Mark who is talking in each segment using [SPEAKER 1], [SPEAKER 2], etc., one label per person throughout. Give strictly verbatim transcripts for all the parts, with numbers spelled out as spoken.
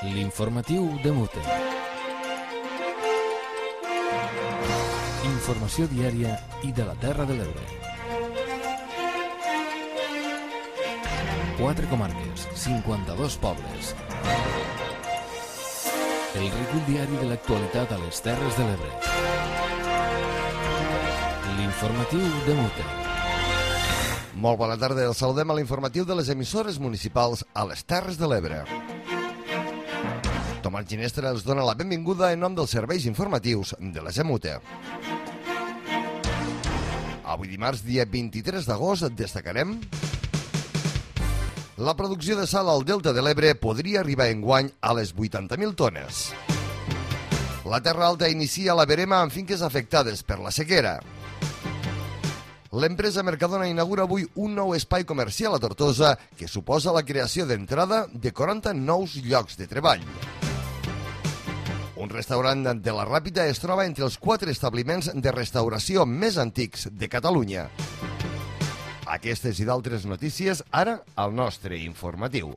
[SPEAKER 1] L'informatiu de Mute. Informació diària i de la Terra de l'Ebre. Quatre comarques, cinquanta-dos pobles. El recull diari de l'actualitat a les Terres de l'Ebre. L'informatiu de Mute.
[SPEAKER 2] Molt bona tarda, el saludem a l'informatiu de les emissores municipals a les Terres de l'Ebre. Tomàs Ginestra els dona la benvinguda en nom dels serveis informatius de la Gemute. Avui dimarts, dia vint-i-tres d'agost, destacarem: la producció de sal al Delta de l'Ebre podria arribar enguany a les vuitanta mil tones. La Terra Alta inicia la verema amb finques afectades per la sequera. L'empresa Mercadona inaugura avui un nou espai comercial a Tortosa que suposa la creació d'entrada de quaranta nous llocs de treball. Un restaurant de la Ràpita es troba entre els quatre establiments de restauració més antics de Catalunya. Aquestes i d'altres notícies ara al nostre informatiu.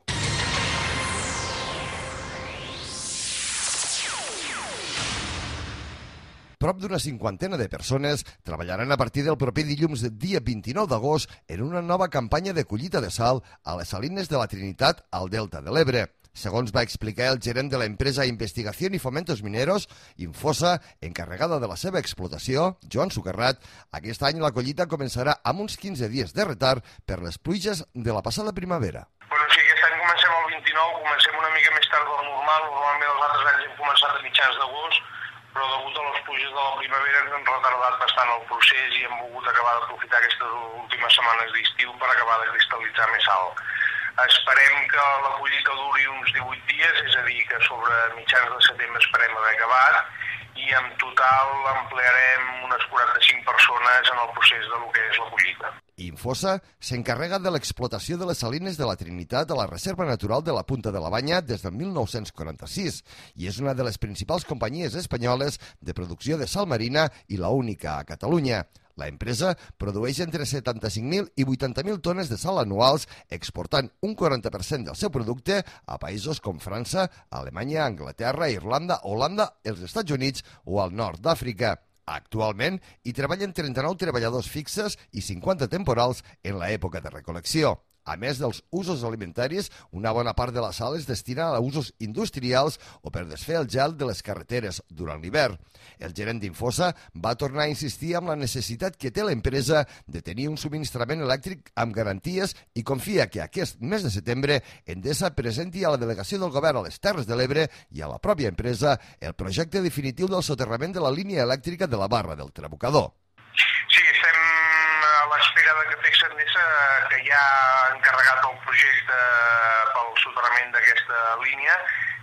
[SPEAKER 2] Prop d'una cinquantena de persones treballaran a partir del proper dilluns, dia vint-i-nou d'agost, en una nova campanya de collita de sal a les salines de la Trinitat al Delta de l'Ebre. Segons va explicar el gerent de l'empresa Investigación y Fomentos Mineros, Infosa, encarregada de la seva explotació, Joan Sucarrat, aquest any la collita començarà amb uns quinze dies de retard per les pluges de la passada primavera.
[SPEAKER 3] Bueno, sí, aquest any comencem el vint-i-nou, comencem una mica més tard del normal. Normalment els altres anys hem començat a mitjans d'agost, però degut a les pluges de la primavera ens han retardat bastant el procés i hem volgut acabar d'aprofitar aquestes últimes setmanes d'estiu per acabar de cristal·litzar més sal. Esperem que la collita duri uns divuit dies, és a dir, que sobre mitjans de setembre esperem haver acabat, i en total emplearem unes quaranta-cinc persones en el procés de lo que és la collita.
[SPEAKER 2] Infosa s'encarrega de l'explotació de les salines de la Trinitat a la Reserva Natural de la Punta de la Banya des del mil nou-cents quaranta-sis i és una de les principals companyies espanyoles de producció de sal marina i la única a Catalunya. La empresa produeix entre setanta-cinc mil i vuitanta mil tones de sal anuals, exportant un quaranta per cent del seu producte a països com França, Alemanya, Anglaterra, Irlanda, Holanda, els Estats Units o al nord d'Àfrica. Actualment hi treballen trenta-nou treballadors fixes i cinquanta temporals en l'època de recol·lecció. A més dels usos alimentaris, una bona part de la sal es destina a usos industrials o per desfer el gel de les carreteres durant l'hivern. El gerent d'Infosa va tornar a insistir amb la necessitat que té l'empresa de tenir un subministrament elèctric amb garanties i confia que aquest mes de setembre Endesa presenti a la delegació del govern a les Terres de l'Ebre i a la pròpia empresa el projecte definitiu del soterrament de la línia elèctrica de la Barra del Trabucador.
[SPEAKER 3] Sí, estem a l'espera de que Tex Endesa, que ja ha encarregat el projecte pel soterrament d'aquesta línia,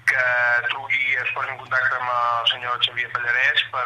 [SPEAKER 3] que truqui, es posi en contacte amb el senyor Xavier Pallarès per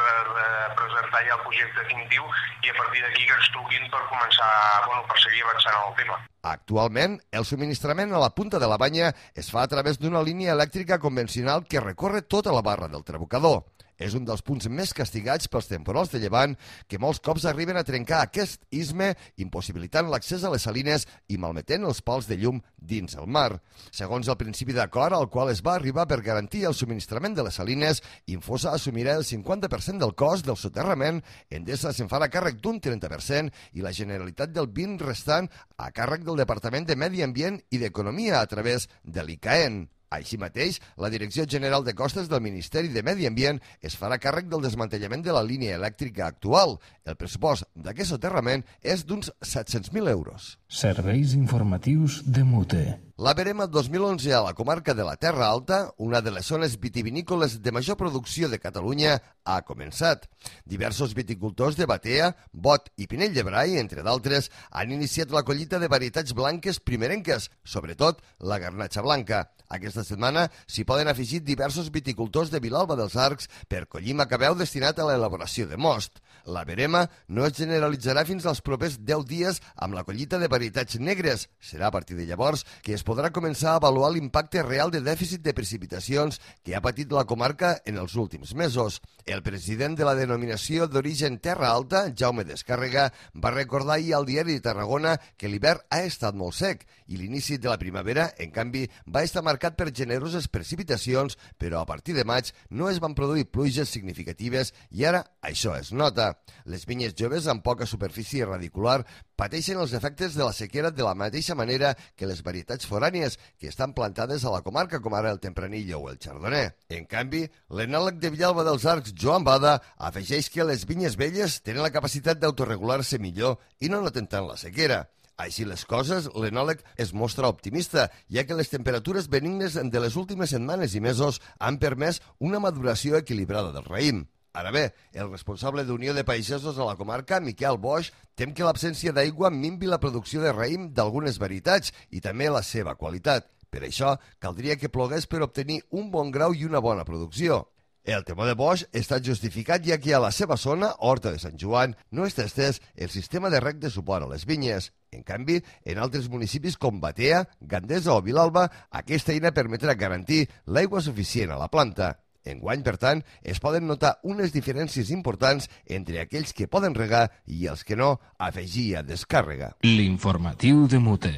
[SPEAKER 3] presentar ja el projecte definitiu i a partir d'aquí que ens truquin per començar, bueno, per seguir avançant en el tema.
[SPEAKER 2] Actualment, el subministrament a la Punta de la Banya es fa a través d'una línia elèctrica convencional que recorre tota la Barra del Trabucador. És un dels punts més castigats pels temporals de llevant que molts cops arriben a trencar aquest istme, impossibilitant l'accés a les salines i malmetent els pals de llum dins el mar. Segons el principi d'acord al qual es va arribar per garantir el subministrament de les salines, Infosa assumirà el cinquanta per cent del cost del soterrament, Endesa se'n farà càrrec d'un trenta per cent i la Generalitat del vint per cent restant a càrrec del Departament de Medi Ambient i d'Economia a través de l'I C A E N. Així mateix, la Direcció General de Costes del Ministeri de Medi Ambient es farà càrrec del desmantellament de la línia elèctrica actual. El pressupost d'aquest soterrament és d'uns set-cents mil euros.
[SPEAKER 1] Serveis informatius de Mute.
[SPEAKER 2] La verema dos mil onze a la comarca de la Terra Alta, una de les zones vitivinícoles de major producció de Catalunya, ha començat. Diversos viticultors de Batea, Bot i Pinell de Brai, entre d'altres, han iniciat la collita de varietats blanques primerenques, sobretot la garnatxa blanca. Aquesta setmana s'hi poden afegir diversos viticultors de Vilalba dels Arcs per collir macabeu destinat a l'elaboració de most. La verema no es generalitzarà fins als propers deu dies amb la collita de varietats negres. Serà a partir de llavors que es podrà començar a avaluar l'impacte real de dèficit de precipitacions que ha patit la comarca en els últims mesos. El president de la denominació d'origen Terra Alta, Jaume Descàrrega, va recordar ahir al Diari de Tarragona que l'hivern ha estat molt sec i l'inici de la primavera, en canvi, va estar marcat per generoses precipitacions, però a partir de maig no es van produir pluges significatives i ara això es nota. Les vinyes joves amb poca superfície radicular pateixen els efectes de la sequera de la mateixa manera que les varietats forànies que estan plantades a la comarca, com ara el Tempranillo o el Chardonnay. En canvi, l'enòleg de Villalba dels Arcs, Joan Bada, afegeix que les vinyes velles tenen la capacitat d'autoregular-se millor i no noten tant la sequera. Així les coses, l'enòleg es mostra optimista, ja que les temperatures benignes de les últimes setmanes i mesos han permès una maduració equilibrada del raïm. Ara bé, el responsable d'Unió de Pagesos a la comarca, Miquel Boix, tem que l'absència d'aigua minvi la producció de raïm d'algunes varietats i també la seva qualitat. Per això, caldria que plogués per obtenir un bon grau i una bona producció. El temor de Boix està justificat ja que a la seva zona, Horta de Sant Joan, no està estès el sistema de reg de suport a les vinyes. En canvi, en altres municipis com Batea, Gandesa o Vilalba, aquesta eina permetrà garantir l'aigua suficient a la planta. Enguany, per tant, es poden notar unes diferències importants entre aquells que poden regar i els que no, afegia Descàrrega.
[SPEAKER 1] L'informatiu de Mute.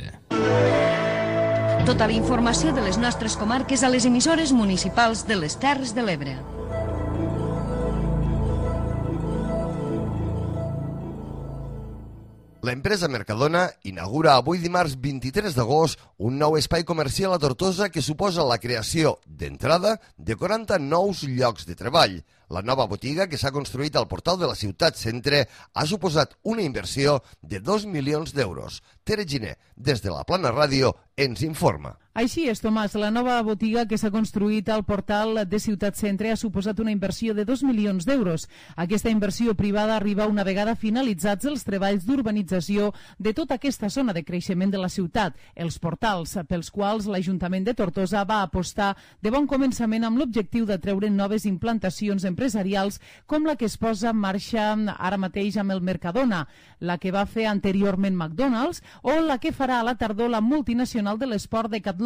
[SPEAKER 4] Tota la informació de les nostres comarques a les emissores municipals de les Terres de l'Ebre.
[SPEAKER 2] L'empresa Mercadona inaugura avui dimarts vint-i-tres d'agost un nou espai comercial a Tortosa que suposa la creació, d'entrada, de quaranta nous llocs de treball. La nova botiga, que s'ha construït al portal de la ciutat centre, ha suposat una inversió de dos milions d'euros. Tere Giner, des de la Plana Ràdio, ens informa.
[SPEAKER 5] Així és, Tomàs. La nova botiga que s'ha construït al portal de Ciutat Centre ha suposat una inversió de dos milions d'euros. Aquesta inversió privada arriba una vegada finalitzats els treballs d'urbanització de tota aquesta zona de creixement de la ciutat, els portals, pels quals l'Ajuntament de Tortosa va apostar de bon començament amb l'objectiu de treure noves implantacions empresarials com la que es posa en marxa ara mateix amb el Mercadona, la que va fer anteriorment McDonald's o la que farà a la tardor la multinacional de l'esport Decathlon.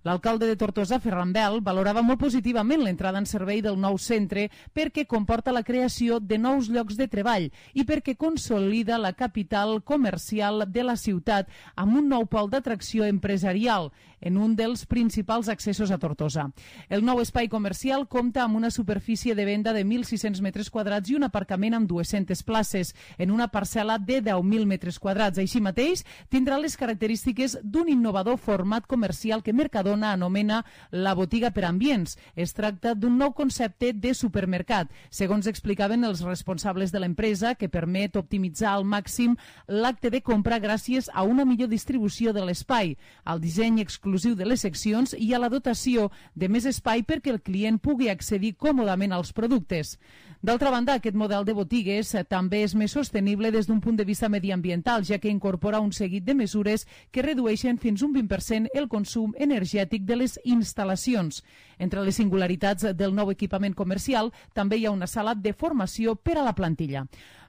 [SPEAKER 5] L'alcalde de Tortosa, Ferran Bel, valorava molt positivament l'entrada en servei del nou centre perquè comporta la creació de nous llocs de treball i perquè consolida la capital comercial de la ciutat amb un nou pol d'atracció empresarial en un dels principals accessos a Tortosa. El nou espai comercial compta amb una superfície de venda de mil sis-cents metres quadrats i un aparcament amb dues-centes places en una parcel·la de deu mil metres quadrats. Així mateix, tindrà les característiques d'un innovador format comercial que Mercadona anomena la botiga per ambients. Es tracta d'un nou concepte de supermercat, segons explicaven els responsables de l'empresa, que permet optimitzar al màxim l'acte de compra gràcies a una millor distribució de l'espai, al disseny exclusiu de les seccions i a la dotació de més espai perquè el client pugui accedir còmodament als productes. D'altra banda, aquest model de botigues també és més sostenible des d'un punt de vista mediambiental, ja que incorpora un seguit de mesures que redueixen fins un vint per cent el consum energètic de les instal·lacions. Entre les singularitats del nou equipament comercial també hi ha una sala de formació per a la plantilla.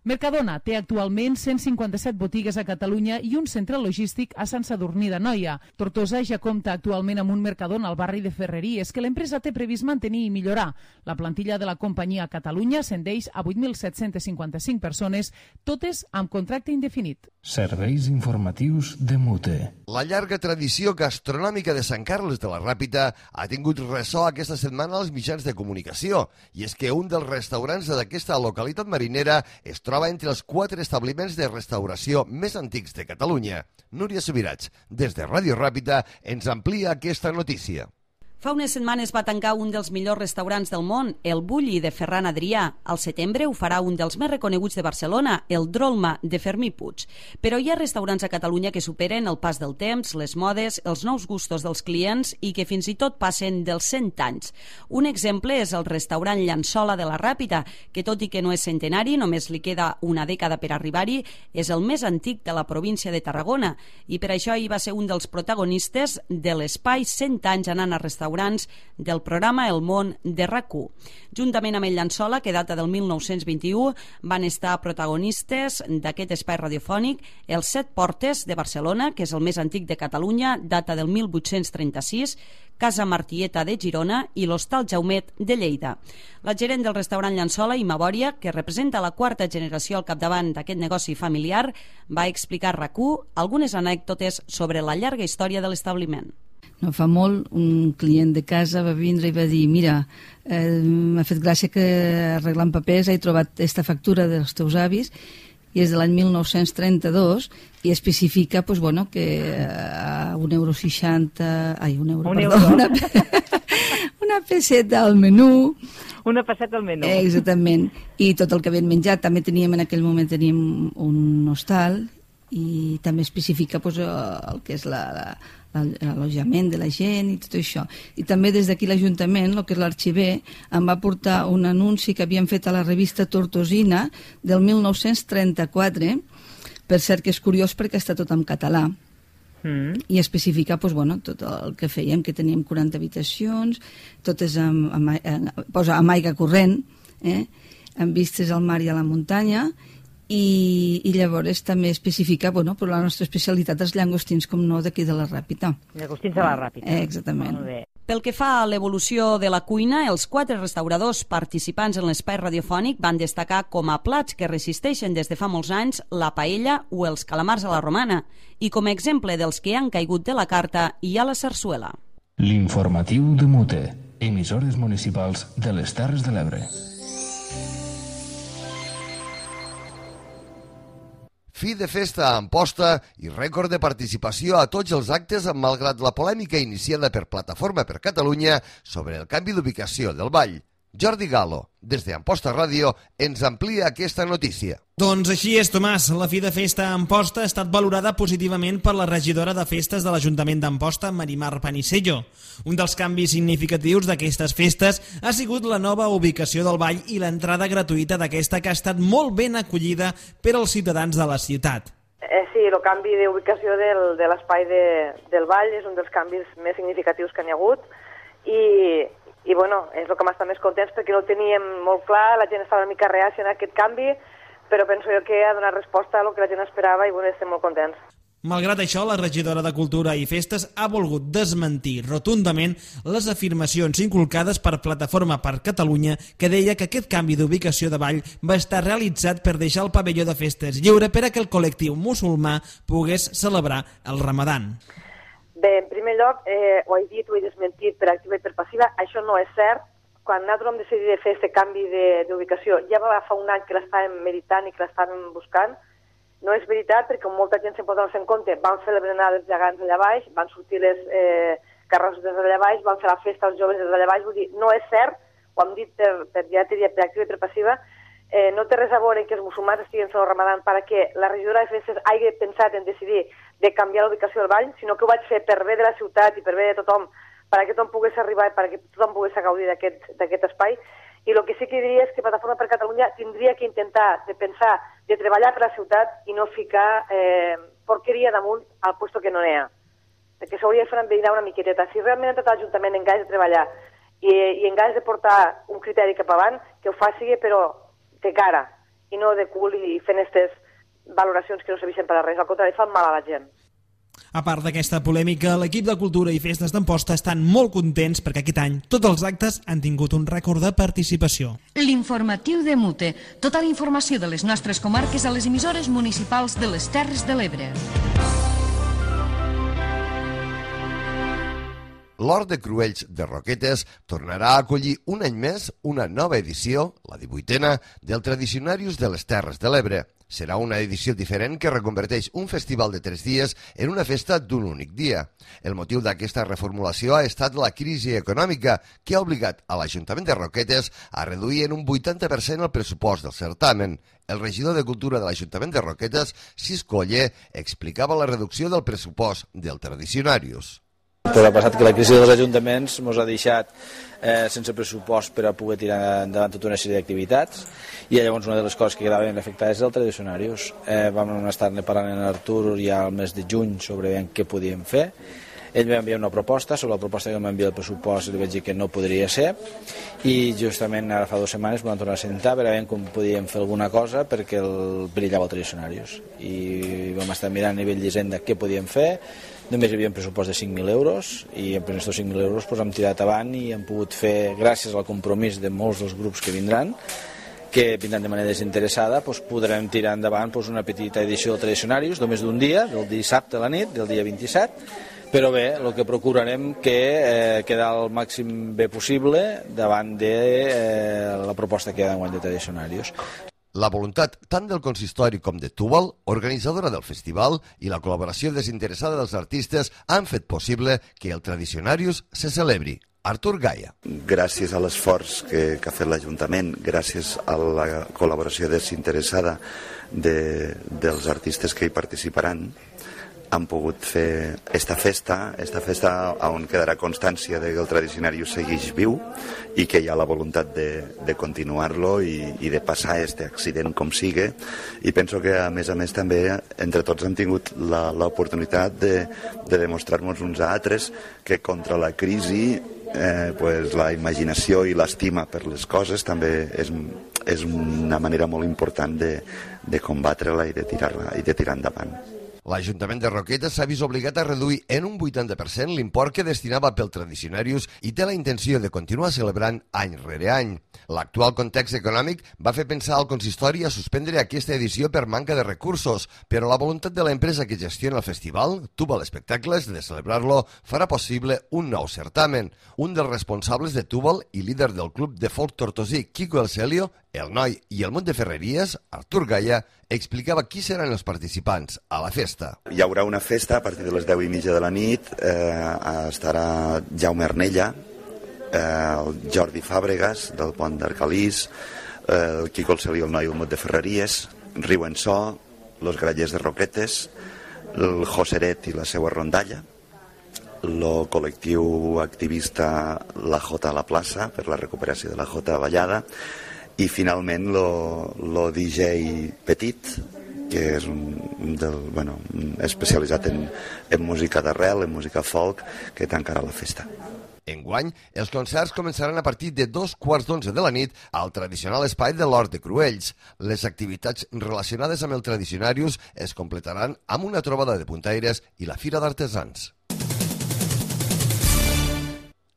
[SPEAKER 5] Mercadona té actualment cent cinquanta-set botigues a Catalunya i un centre logístic a Sant Sadurní d'Anoia. Tortosa ja compta actualment amb un Mercadona al barri de Ferreries que l'empresa té previst mantenir i millorar. La plantilla de la companyia a Catalunya ascendeix a vuit mil set-cents cinquanta-cinc persones, totes amb contracte indefinit.
[SPEAKER 1] Serveis informatius de Mute.
[SPEAKER 2] La llarga tradició gastronòmica de Sant Carles de la Ràpita ha tingut ressò aquesta setmana als mitjans de comunicació, i és que un dels restaurants d'aquesta localitat marinera es troba entre els quatre establiments de restauració més antics de Catalunya. Núria Subirats, des de Ràdio Ràpita, ens amplia aquesta notícia.
[SPEAKER 6] Fa unes setmanes va tancar un dels millors restaurants del món, el Bulli de Ferran Adrià. Al setembre ho farà un dels més reconeguts de Barcelona, el Drolma de Fermí Puig. Però hi ha restaurants a Catalunya que superen el pas del temps, les modes, els nous gustos dels clients i que fins i tot passen dels cent anys. Un exemple és el restaurant Llençola de la Ràpita, que tot i que no és centenari, només li queda una dècada per arribar-hi, és el més antic de la província de Tarragona i per això hi va ser un dels protagonistes de l'espai cent anys anant a restaurar restaurants del programa El món de R A C u. Juntament amb el Llençola, que data del mil nou-cents vint-i-u, van estar protagonistes d'aquest espai radiofònic els Set Portes de Barcelona, que és el més antic de Catalunya, data del mil vuit-cents trenta-sis, Casa Martieta de Girona i l'Hostal Jaumet de Lleida. La gerent del restaurant Llençola, Ima Bòria, que representa la quarta generació al capdavant d'aquest negoci familiar, va explicar a R A C u algunes anècdotes sobre la llarga història de l'establiment.
[SPEAKER 7] No fa molt, un client de casa va vindre i va dir: mira, eh, m'ha fet gràcia que arreglant papers he trobat aquesta factura dels teus avis i és de l'any mil nou-cents trenta-dos i especifica pues, bueno, que a un euro seixanta... Ai, un euro,
[SPEAKER 8] un
[SPEAKER 7] perdó.
[SPEAKER 8] Euro.
[SPEAKER 7] Una, una pesseta al menú.
[SPEAKER 8] Una pesseta al menú.
[SPEAKER 7] Eh, exactament. I tot el que havien menjat. També teníem, en aquell moment, teníem un hostal i també especifica pues, el que és la... la l'allotjament de la gent i tot això. I també des d'aquí l'Ajuntament, el que és l'arxiver, em va portar un anunci que havien fet a la revista Tortosina del mil nou-cents trenta-quatre, per cert que és curiós perquè està tot en català, mm. i especificar pues, bueno, tot el que fèiem, que teníem quaranta habitacions, totes amb, amb, amb, posa amb aigua corrent, eh? amb vistes al mar i a la muntanya, I, i llavors també especificar, bueno, però la nostra especialitat és llangostins, com no, d'aquí de la Ràpita.
[SPEAKER 8] Llangostins de la Ràpita.
[SPEAKER 7] Eh, exactament.
[SPEAKER 6] Pel que fa a l'evolució de la cuina, els quatre restauradors participants en l'espai radiofònic van destacar com a plats que resisteixen des de fa molts anys la paella o els calamars a la romana, i com a exemple dels que han caigut de la carta hi ha la sarsuela.
[SPEAKER 1] L'informatiu de Mute, emissores municipals de les Terres de l'Ebre.
[SPEAKER 2] Fi de festa a Amposta i rècord de participació a tots els actes malgrat la polèmica iniciada per Plataforma per Catalunya sobre el canvi d'ubicació del ball. Jordi Galo, des d'Amposta Ràdio, ens amplia aquesta notícia.
[SPEAKER 9] Doncs així és, Tomàs. La fi de festa a Amposta ha estat valorada positivament per la regidora de festes de l'Ajuntament d'Amposta, Marimar Panisello. Un dels canvis significatius d'aquestes festes ha sigut la nova ubicació del ball i l'entrada gratuïta d'aquesta, que ha estat molt ben acollida per als ciutadans de la ciutat.
[SPEAKER 10] Eh, sí, el canvi d'ubicació del, de l'espai de, del ball és un dels canvis més significatius que n'hi ha hagut i... I bueno, és el que m'està més contents perquè no ho teníem molt clar, la gent estava una mica reàcia en aquest canvi, però penso jo que ha donat resposta a el que la gent esperava i bueno, estem molt contents.
[SPEAKER 9] Malgrat això, la regidora de Cultura i Festes ha volgut desmentir rotundament les afirmacions inculcades per Plataforma per Catalunya, que deia que aquest canvi d'ubicació de ball va estar realitzat per deixar el pavelló de festes lliure per a que el col·lectiu musulmà pogués celebrar el Ramadan.
[SPEAKER 10] Bé, en primer lloc, eh, ho he dit, ho he desmentit per activa i per passiva, això no és cert. Quan nosaltres vam decidir fer aquest canvi d'ubicació, ja va fa un any que l'estàvem meditant i que l'estàvem buscant. No és veritat, perquè com molta gent se'n pot donar en compte, van fer la berenada dels gegants allà baix, van sortir les eh, carrosses des d'allà baix, van fer la festa als joves des d'allà baix, vull dir, no és cert, ho hem dit per, per, ja t'he dit, per activa i per passiva, eh, no té res a veure que els musulmans estiguin fent el Ramadan perquè la regidora de festes hagi pensat en decidir de canviar l'ubicació del ball, sinó que ho vaig fer per bé de la ciutat i per bé de tothom, perquè tothom pogués arribar i perquè tothom pogués gaudir d'aquest espai. I el que sí que diria és que Plataforma per Catalunya tindria que intentar de pensar, de treballar per la ciutat i no ficar eh, porqueria damunt al puesto que no n'hi ha. Perquè s'hauria de fer enverinar una miqueteta. Si realment ha tot l'Ajuntament en ganes de treballar i, i en ganes de portar un criteri cap avant, que ho faci però de cara i no de cul i fent aquestes valoracions que no serveixen per a res, al contrari, fan mal a la gent.
[SPEAKER 9] A part d'aquesta polèmica, l'equip de Cultura i Festes d'Amposta estan molt contents perquè aquest any tots els actes han tingut un rècord de participació.
[SPEAKER 4] L'informatiu de Mute. Tota la informació de les nostres comarques a les emissores municipals de les Terres de l'Ebre.
[SPEAKER 2] L'Hort de Cruells de Roquetes tornarà a acollir un any més una nova edició, la divuitena, del Tradicionarius de les Terres de l'Ebre. Serà una edició diferent que reconverteix un festival de tres dies en una festa d'un únic dia. El motiu d'aquesta reformulació ha estat la crisi econòmica, que ha obligat a l'Ajuntament de Roquetes a reduir en un vuitanta per cent el pressupost del certamen. El regidor de Cultura de l'Ajuntament de Roquetes, Cisco Oller, explicava la reducció del pressupost del Tradicionarius.
[SPEAKER 11] Però ha passat que la crisi dels ajuntaments ens ha deixat eh, sense pressupost per a poder tirar endavant tota una sèrie d'activitats i llavors una de les coses que quedaven afectades és el Tradicionarius. Eh, vam estar-ne parlant amb Artur ja al mes de juny sobre què podíem fer Ell va enviar una proposta, sobre la proposta que m'envia el pressupost li vaig dir que no podria ser, i justament ara fa dues setmanes vam tornar a sentar per veure com podíem fer alguna cosa perquè el brillava el Tradicionarius. I vam estar mirant a nivell d'Hisenda què podíem fer. Només hi havia un pressupost de cinc mil euros i amb aquests cinc mil euros doncs, hem tirat avant i hem pogut fer, gràcies al compromís de molts dels grups que vindran, que vindran de manera desinteressada, doncs podrem tirar endavant doncs, una petita edició del Tradicionarius, només d'un dia, del dissabte a la nit, del dia vint-i-set, però bé, el que procurarem que eh, quedar el màxim bé possible davant de eh, la proposta que hi ha d'enguany de Tradicionarius.
[SPEAKER 2] La voluntat tant del consistori com de Túbal, organitzadora del festival, i la col·laboració desinteressada dels artistes han fet possible que el Tradicionarius se celebri. Artur Gaia.
[SPEAKER 12] Gràcies a l'esforç que, que ha fet l'Ajuntament, gràcies a la col·laboració desinteressada de, dels artistes que hi participaran, han pogut fer esta festa, esta festa on quedarà constància de que el Tradicionarius segueix viu i que hi ha la voluntat de, de continuar-lo i, i de passar aquest accident com sigue. I penso que, a més a més, també entre tots hem tingut l'oportunitat de, de demostrar-nos uns a altres que contra la crisi eh, pues, la imaginació i l'estima per les coses també és, és una manera molt important de, de combatre-la i de tirar-la i de tirar endavant.
[SPEAKER 2] L'Ajuntament de Roquetes s'ha vist obligat a reduir en un vuitanta per cent l'import que destinava pel Tradicionarius i té la intenció de continuar celebrant any rere any. L'actual context econòmic va fer pensar al consistori a suspendre aquesta edició per manca de recursos, però la voluntat de l'empresa que gestiona el festival, Túbal Espectacles, de celebrar-lo, farà possible un nou certamen. Un dels responsables de Túbal i líder del club de folk tortosí Quico El Celio, el Noi i el Munt de Ferreries, Artur Gaia, explicava qui seran els participants a la festa.
[SPEAKER 12] Hi haurà una festa a partir de les deu i mitja de la nit, eh, estarà Jaume Arnella, eh, el Jordi Fàbregas, del Pont d'Arcalís, eh, el Quico El Celio, el Noi i el Munt de Ferreries, Riu en So, los Grallers de Roquetes, el Joseret i la seva rondalla, el col·lectiu activista La Jota a la plaça, per la recuperació de la Jota Ballada, i finalment el D J Petit, que és un, del, bueno, especialitzat en, en música d'arrel, en música folk, que tancarà la festa.
[SPEAKER 2] Enguany, els concerts començaran a partir de dos quarts d'onze de la nit al tradicional espai de l'Hort de Cruells. Les activitats relacionades amb el Tradicionarius es completaran amb una trobada de puntaires i la Fira d'Artesans.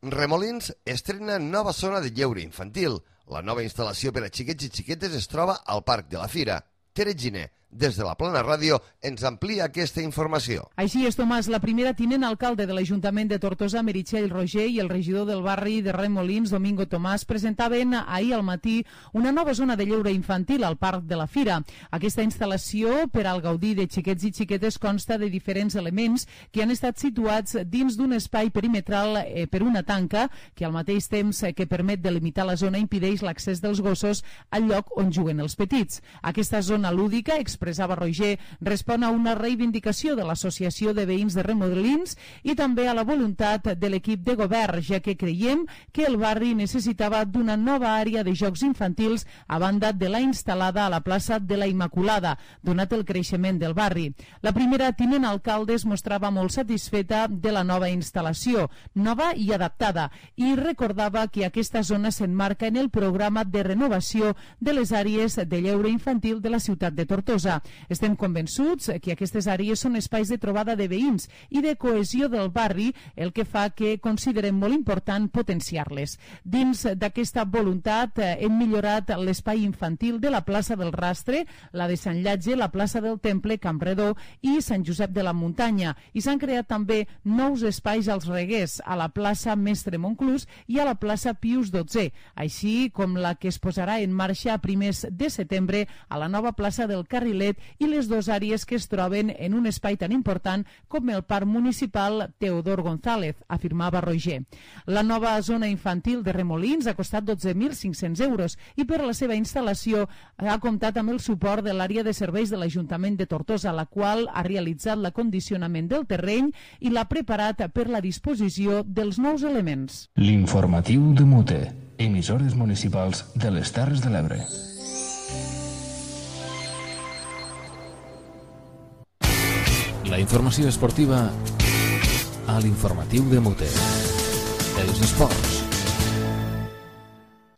[SPEAKER 2] Remolins estrena nova zona de lleure infantil. La nova instal·lació per a xiquets i xiquetes es troba al Parc de la Fira. Tere Giner, des de la Plana Ràdio, ens amplia aquesta informació.
[SPEAKER 5] Així és, Tomàs, la primera tinent alcalde de l'Ajuntament de Tortosa, Meritxell Roger, i el regidor del barri de Remolins, Domingo Tomàs, presentaven ahir al matí una nova zona de lleure infantil al Parc de la Fira. Aquesta instal·lació, per al gaudi de xiquets i xiquetes, consta de diferents elements que han estat situats dins d'un espai perimetral eh, per una tanca que, al mateix temps eh, que permet delimitar la zona, impedeix l'accés dels gossos al lloc on juguen els petits. Aquesta zona lúdica, expressava Roger, respon a una reivindicació de l'Associació de Veïns de Remolins i també a la voluntat de l'equip de govern, ja que creiem que el barri necessitava d'una nova àrea de jocs infantils a banda de la instal·lada a la plaça de la Immaculada, donat el creixement del barri. La primera tinent alcalde es mostrava molt satisfeta de la nova instal·lació, nova i adaptada, i recordava que aquesta zona s'emmarca en el programa de renovació de les àrees de lleure infantil de la ciutat de Tortosa. Estem convençuts que aquestes àrees són espais de trobada de veïns i de cohesió del barri, el que fa que considerem molt important potenciar-les. Dins d'aquesta voluntat hem millorat l'espai infantil de la plaça del Rastre, la de Sant Llatge, la plaça del Temple, Campredó i Sant Josep de la Muntanya, i s'han creat també nous espais als Reguers, a la plaça Mestre Monclús i a la plaça Pius dotze, així com la que es posarà en marxa a primers de setembre a la nova plaça del Carrilet i les dues àrees que es troben en un espai tan important com el Parc Municipal Teodor González, afirmava Roger. La nova zona infantil de Remolins ha costat dotze mil cinc-cents euros i per a la seva instal·lació ha comptat amb el suport de l'àrea de serveis de l'Ajuntament de Tortosa, la qual ha realitzat l'acondicionament del terreny i l'ha preparat per la disposició dels nous elements.
[SPEAKER 1] L'informatiu de Mute, emissores municipals de les Terres de l'Ebre.
[SPEAKER 13] La informació esportiva
[SPEAKER 1] a l'informatiu de Mute. Els esports.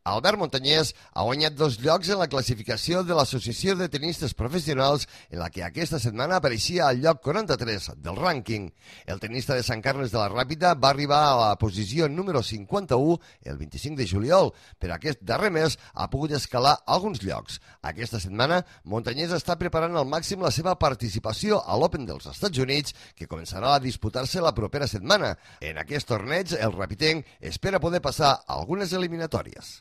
[SPEAKER 2] Albert Montanyès ha guanyat dos llocs en la classificació de l'Associació de Tenistes Professionals, en la que aquesta setmana apareixia al lloc quaranta-tres del rànquing. El tenista de Sant Carles de la Ràpita va arribar a la posició número cinquanta-u el vint-i-cinc de juliol, però aquest darrer mes ha pogut escalar alguns llocs. Aquesta setmana, Montanyès està preparant al màxim la seva participació a l'Open dels Estats Units, que començarà a disputar-se la propera setmana. En aquest torneig, el rapitenc espera poder passar algunes eliminatòries.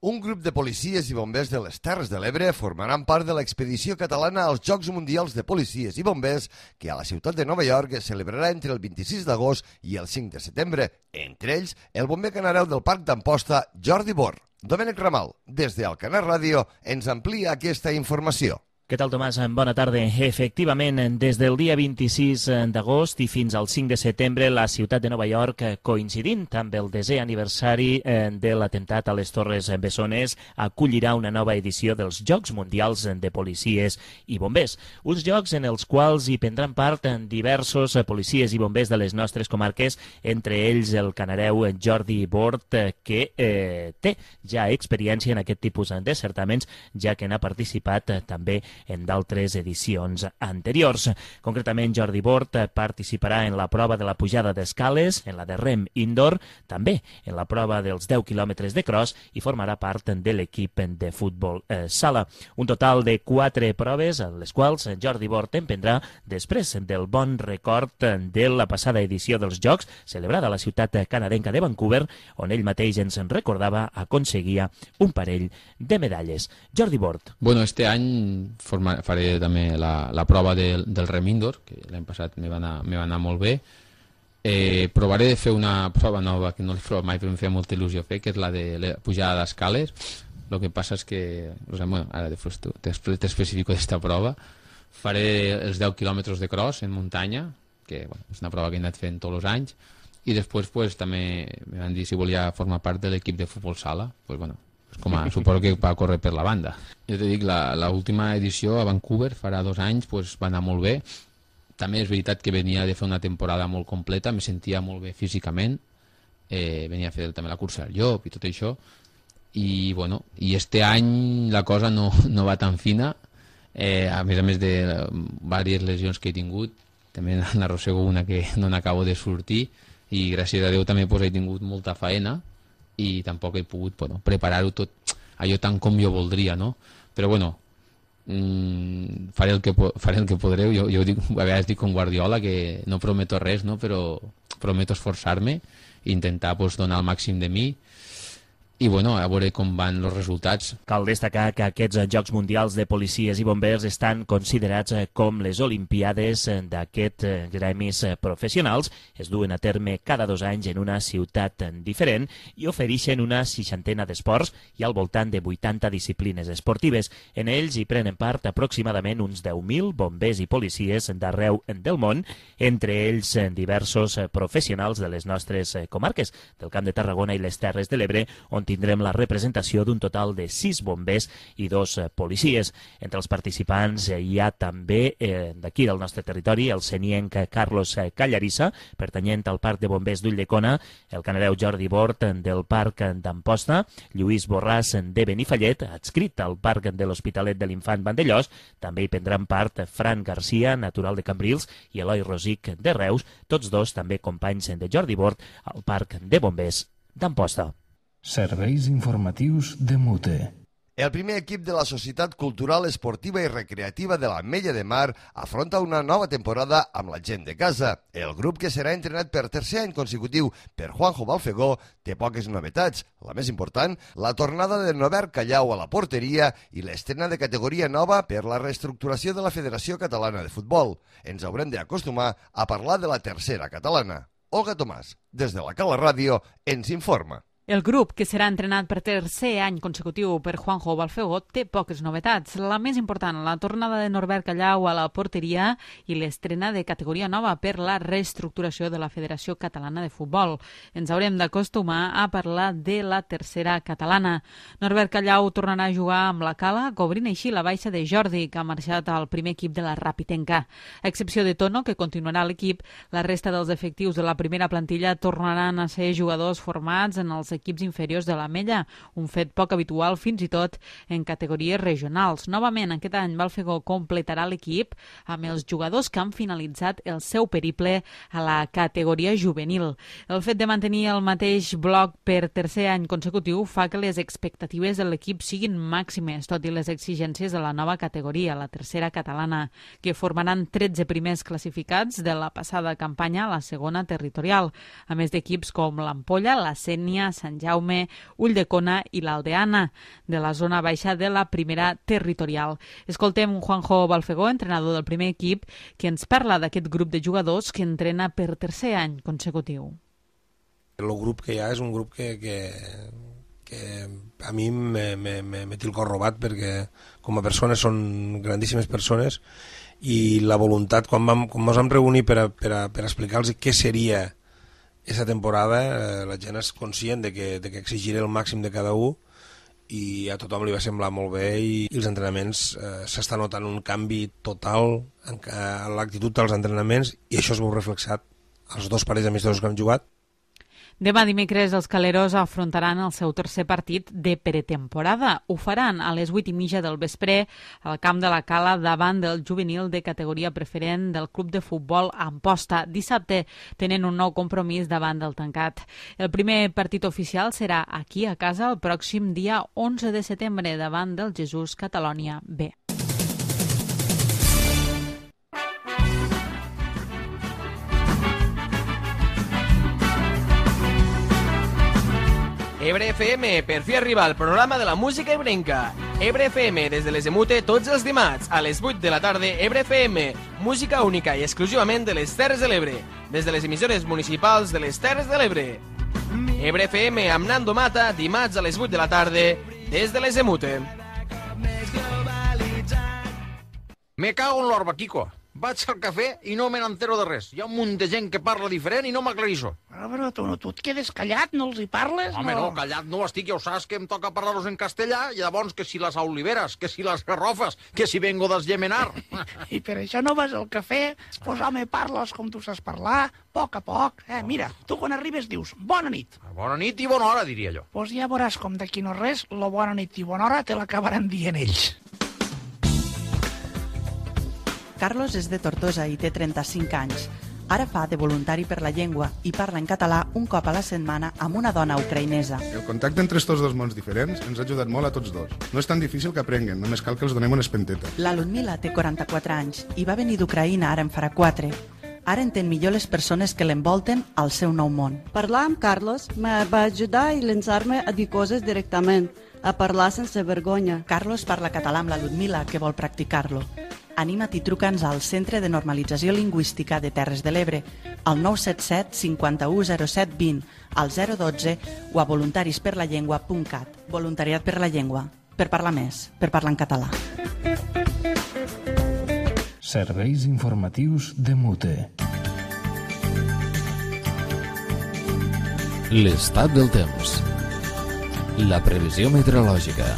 [SPEAKER 2] Un grup de policies i bombers de les Terres de l'Ebre formaran part de l'expedició catalana als Jocs Mundials de Policies i Bombers que a la ciutat de Nova York es celebrarà entre el vint-i-sis d'agost i el cinc de setembre. Entre ells, el bomber canareu del Parc d'Amposta, Jordi Bor. Domènec Ramal, des de Alcanar Ràdio, ens amplia aquesta informació.
[SPEAKER 13] Què tal, Tomàs? Bona tarda. Efectivament, des del dia vint-i-sis d'agost i fins al cinc de setembre, la ciutat de Nova York, coincidint amb el desè aniversari de l'atemptat a les Torres Bessones, acollirà una nova edició dels Jocs Mundials de Policies i Bombers. Uns jocs en els quals hi prendran part diversos policies i bombers de les nostres comarques, entre ells el canareu Jordi Bort, que eh, té ja experiència en aquest tipus de certaments, ja que n'ha participat també en d'altres edicions anteriors. Concretament, Jordi Bort participarà en la prova de la pujada d'escales, en la de rem indoor, també en la prova dels deu quilòmetres de cross i formarà part de l'equip de futbol eh, sala. Un total de quatre proves, en les quals Jordi Bort emprendrà després del bon record de la passada edició dels Jocs, celebrada a la ciutat canadenca de Vancouver, on ell mateix ens recordava aconseguia un parell de medalles. Jordi Bort.
[SPEAKER 14] Bueno, este any Forma, faré també la, la prova del, del rem indoor, que l'any passat me va, anar, me va anar molt bé. Eh, provaré de fer una prova nova que no l'he provat mai però em feia molta il·lusió fer, que és la de la pujada d'escales. El que passa és que, o sigui, bueno, ara t'especifico d'esta prova, faré els deu quilòmetres de cross en muntanya, que bueno, és una prova que he anat fent tots els anys, i després pues, també me van dir si volia formar part de l'equip de futbol sala. Pues, bueno, com a, suposo que va córrer per la banda. Jo te dic, l'última edició a Vancouver, farà dos anys, pues, va anar molt bé. També és veritat que venia de fer una temporada molt completa, me sentia molt bé físicament, eh, venia a fer també la cursa del llop i tot això, i bueno, i este any la cosa no, no va tan fina, eh, a més a més de diverses lesions que he tingut, també n'arrossego una que no n'acabo de sortir, i gràcies a Déu també pues, he tingut molta faena, i tampoc he pogut bueno, preparar-ho tot allò tant com jo voldria, no? Però bueno, mmm, faré, el que, faré el que podré. Jo, jo dic, a vegades dic com Guardiola que no prometo res, no? Però prometo esforçar-me i intentar pues, donar el màxim de mi. I bueno, a veure com van els resultats.
[SPEAKER 13] Cal destacar que aquests Jocs Mundials de Policies i Bombers estan considerats com les Olimpiades d'aquests gremis professionals. Es duen a terme cada dos anys en una ciutat diferent i ofereixen una seixantena d'esports i al voltant de vuitanta disciplines esportives. En ells hi prenen part aproximadament uns deu mil bombers i policies d'arreu del món, entre ells diversos professionals de les nostres comarques, del Camp de Tarragona i les Terres de l'Ebre, on tindrem la representació d'un total de sis bombers i dos policies. Entre els participants hi ha també, eh, d'aquí del nostre territori, el senienc Carlos Callarissa, pertanyent al Parc de Bombers d'Ulldecona, el canareu Jordi Bort del Parc d'Amposta, Lluís Borràs de Benifallet, adscrit al Parc de l'Hospitalet de l'Infant Vandellós, també hi prendran part Fran Garcia, natural de Cambrils, i Eloi Rosic de Reus, tots dos també companys de Jordi Bort al Parc de Bombers d'Amposta.
[SPEAKER 1] Serveis informatius de Mute.
[SPEAKER 2] El primer equip de la Societat Cultural, Esportiva i Recreativa de l'Ametlla de Mar afronta una nova temporada amb la gent de casa. El grup, que serà entrenat per tercer any consecutiu per Juanjo Balfegó, té poques novetats. La més important, la tornada de Norbert Callau a la porteria i l'estrena de categoria nova per la reestructuració de la Federació Catalana de Futbol. Ens haurem d'acostumar a parlar de la tercera catalana. Olga Tomàs, des de la Cala Ràdio, ens informa.
[SPEAKER 15] El grup, que serà entrenat per tercer any consecutiu per Juanjo Balfegó, té poques novetats. La més important, la tornada de Norbert Callau a la porteria i l'estrena de categoria nova per la reestructuració de la Federació Catalana de Futbol. Ens haurem d'acostumar a parlar de la tercera catalana. Norbert Callau tornarà a jugar amb la Cala, cobrint així la baixa de Jordi, que ha marxat al primer equip de la Rapitenca. A excepció de Tono, que continuarà a l'equip, la resta dels efectius de la primera plantilla tornaran a ser jugadors formats en els equips inferiors de la Mella, un fet poc habitual fins i tot en categories regionals. Novament, aquest any Balfegó completarà l'equip amb els jugadors que han finalitzat el seu periple a la categoria juvenil. El fet de mantenir el mateix bloc per tercer any consecutiu fa que les expectatives de l'equip siguin màximes, tot i les exigències de la nova categoria, la tercera catalana, que formaran tretze primers classificats de la passada campanya a la segona territorial, a més d'equips com l'Ampolla, la Sénia, Sant Jaume, Ulldecona i l'Aldeana, de la zona baixa de la primera territorial. Escoltem Juanjo Balfegó, entrenador del primer equip, que ens parla d'aquest grup de jugadors que entrena per tercer any consecutiu.
[SPEAKER 16] El grup que hi ha és un grup que, que, que a mi me, me, me, me té el cor robat, perquè com a persones són grandíssimes persones, i la voluntat, quan vam, quan ens vam reunir per, a, per, a, per explicar-los què seria aquesta temporada, eh, la gent és conscient de que, de que exigiré el màxim de cada un, i a tothom li va semblar molt bé, i, i els entrenaments eh, s'està notant un canvi total en, en l'actitud dels entrenaments, i això es veu reflexat als dos parells amistosos que hem jugat.
[SPEAKER 15] Demà dimecres els caleros afrontaran el seu tercer partit de pretemporada. Ho faran a les vuit i mitja del vespre al camp de la Cala davant del juvenil de categoria preferent del club de futbol Amposta. Dissabte tenen un nou compromís davant del tancat. El primer partit oficial serà aquí a casa el pròxim dia onze de setembre davant del Jesús Catalònia B.
[SPEAKER 17] Ebre F M, per fi arriba el programa de la música ebrenca. Ebre F M, des de les Emute, tots els dimarts, a les vuit de la tarda, Ebre F M, música única i exclusivament de les Terres de l'Ebre, des de les emissores municipals de les Terres de l'Ebre. Ebre F M amb Nando Mata, dimarts a les vuit de la tarda, des de les Emute.
[SPEAKER 18] Me cago en l'orba, Kiko. Vaig al cafè i no me n'entero de res. Hi ha un munt de gent que parla diferent i no m'aclarisso.
[SPEAKER 19] Però, però tu, no, tu et quedes callat, no els hi parles?
[SPEAKER 18] Home,
[SPEAKER 19] no,
[SPEAKER 18] no callat no estic, ja ho saps que em toca parlar-los en castellà, i llavors que si les oliveres, que si les garrofes, que si vengo d'Esgemenar.
[SPEAKER 19] I per això no vas al cafè? Pues home, parles com tu saps parlar, a poc a poc. Eh, mira, tu quan arribes dius, bona nit.
[SPEAKER 18] Bona nit i bona hora, diria jo.
[SPEAKER 19] Pues ja veuràs com d'aquí no res, lo bona nit i bona hora te l'acabaran dient ells.
[SPEAKER 6] Carlos és de Tortosa i té trenta-cinc anys. Ara fa de voluntari per la llengua i parla en català un cop a la setmana amb una dona ucraïnesa.
[SPEAKER 20] El contacte entre estos dos mons diferents ens ha ajudat molt a tots dos. No és tan difícil que aprenguen, només cal que els donem una espenteta.
[SPEAKER 6] La Ludmila té quaranta-quatre anys i va venir d'Ucraïna, ara en farà quatre. Ara entén millor les persones que l'envolten al seu nou món.
[SPEAKER 21] Parlar amb Carlos me va ajudar a llançar-me a dir coses directament, a parlar sense vergonya.
[SPEAKER 6] Carlos parla català amb la Ludmila, que vol practicar-lo. Anima't i truca'ns al Centre de Normalització Lingüística de Terres de l'Ebre, al nou set set cinquanta-u zero set vint, al zero dotze o a voluntarisperlallengua punt cat. Voluntariat per la llengua, per parlar més, per parlar en català.
[SPEAKER 1] Serveis informatius de Mute.
[SPEAKER 22] L'estat del temps. La previsió meteorològica.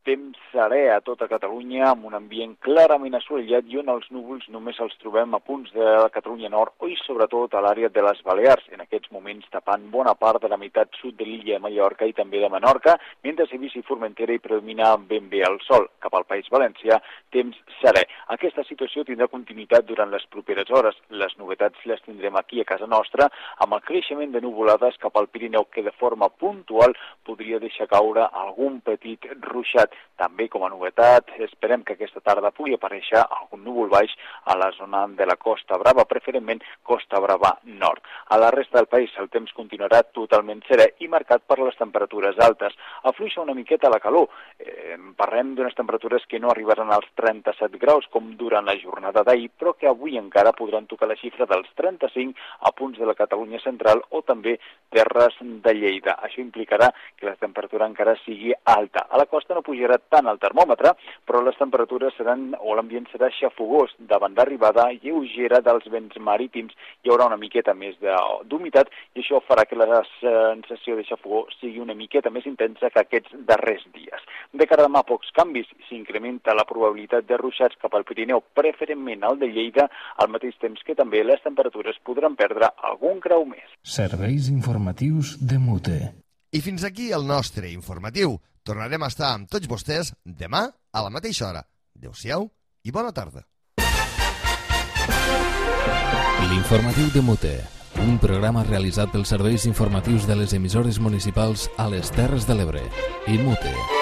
[SPEAKER 23] Temps serè a tota Catalunya, amb un ambient clarament assolellat i on els núvols només els trobem a punts de la Catalunya Nord i sobretot a l'àrea de les Balears, en aquests moments tapant bona part de la meitat sud de l'illa de Mallorca i també de Menorca, mentre a Eivissa i Formentera hi predomina ben bé el sol. Cap al País Valencià, temps serè. Aquesta situació tindrà continuïtat durant les properes hores. Les novetats les tindrem aquí a casa nostra, amb el creixement de nuvolades cap al Pirineu, que de forma puntual podria deixar caure algun petit ruixat. També com a novetat, esperem que aquesta tarda pugui aparèixer algun núvol baix a la zona de la Costa Brava, preferentment Costa Brava Nord. A la resta del país el temps continuarà totalment serè i marcat per les temperatures altes. Afluixa una miqueta la calor. Eh, parlem d'unes temperatures que no arribaran als trenta-set graus com durant la jornada d'ahir, però que avui encara podran tocar la xifra dels trenta-cinc a punts de la Catalunya central o també terres de Lleida. Això implicarà que la temperatura encara sigui alta. A la costa no pujarà tant el termòmetre, però les temperatures seran, o l'ambient serà xafogós, davant d'arribada lleugera dels vents marítims. Hi haurà una miqueta més d'humitat i això farà que la sensació de xafogó sigui una miqueta més intensa que aquests darrers dies. De cara a demà, pocs canvis. S'incrementa la probabilitat de ruixats cap al Pirineu, preferentment al de Lleida, al mateix temps que també les temperatures podran perdre algun grau més.
[SPEAKER 1] Serveis informatius de Mute.
[SPEAKER 2] I fins aquí el nostre informatiu. Tornarem a estar amb tots vostès demà a la mateixa hora. Adéu-siau i bona tarda.
[SPEAKER 22] L'informatiu de Mute, un programa realitzat pels serveis informatius de les emissores municipals a les Terres de l'Ebre i Mute.